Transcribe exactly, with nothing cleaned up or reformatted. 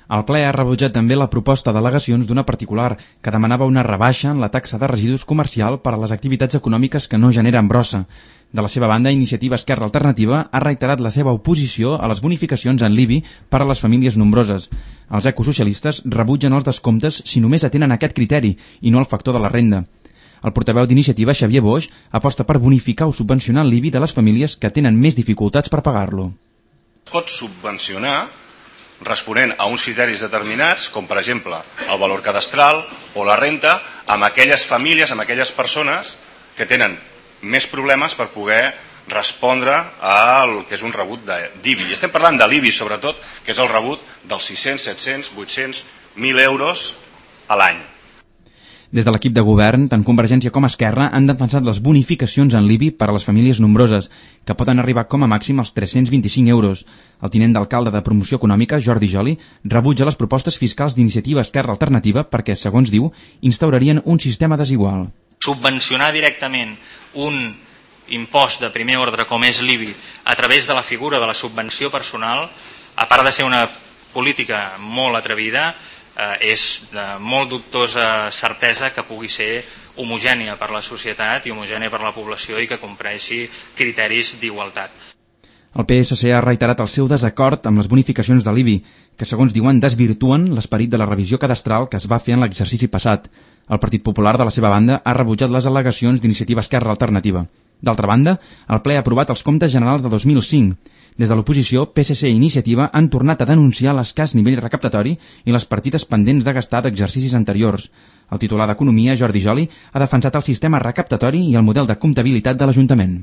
El ple ha rebutjat també la proposta d'al·legacions d'una particular que demanava una rebaixa en la taxa de residus comercial per a les activitats econòmiques que no generen brossa. De la seva banda, Iniciativa Esquerra Alternativa ha reiterat la seva oposició a les bonificacions en l'I B I per a les famílies nombroses. Els ecosocialistes rebutgen els descomptes si només atenen aquest criteri i no el factor de la renda. El portaveu d'Iniciativa, Xavier Boix, aposta per bonificar o subvencionar l'I B I de les famílies que tenen més dificultats per pagar-lo. Es pot subvencionar responent a uns criteris determinats, com per exemple el valor cadastral o la renta, amb aquelles famílies, amb aquelles persones que tenen més problemes per poder respondre al que és un rebut d'I B I. I estem parlant de l'I B I, sobretot, que és el rebut dels sis-cents, set-cents, vuit-cents, mil euros a l'any. Des de l'equip de govern, tant Convergència com Esquerra han defensat les bonificacions en l'I B I per a les famílies nombroses, que poden arribar com a màxim als tres-cents vint-i-cinc euros. El tinent d'alcalde de Promoció Econòmica, Jordi Joli, rebutja les propostes fiscals d'Iniciativa Esquerra Alternativa perquè, segons diu, instaurarien un sistema desigual. Subvencionar directament un impost de primer ordre com és l'I B I a través de la figura de la subvenció personal, a part de ser una política molt atrevida, eh, és de molt dubtosa certesa que pugui ser homogènia per la societat i homogènia per la població i que compleixi criteris d'igualtat. El P S C ha reiterat el seu desacord amb les bonificacions de l'I B I, que segons diuen desvirtuen l'esperit de la revisió cadastral que es va fer en l'exercici passat. El Partit Popular, de la seva banda, ha rebutjat les al·legacions d'Iniciativa Esquerra Alternativa. D'altra banda, el ple ha aprovat els comptes generals de dos mil cinc. Des de l'oposició, P S C i Iniciativa han tornat a denunciar l'escàs nivell recaptatori i les partides pendents de gastar d'exercicis anteriors. El titular d'Economia, Jordi Joli, ha defensat el sistema recaptatori i el model de comptabilitat de l'Ajuntament.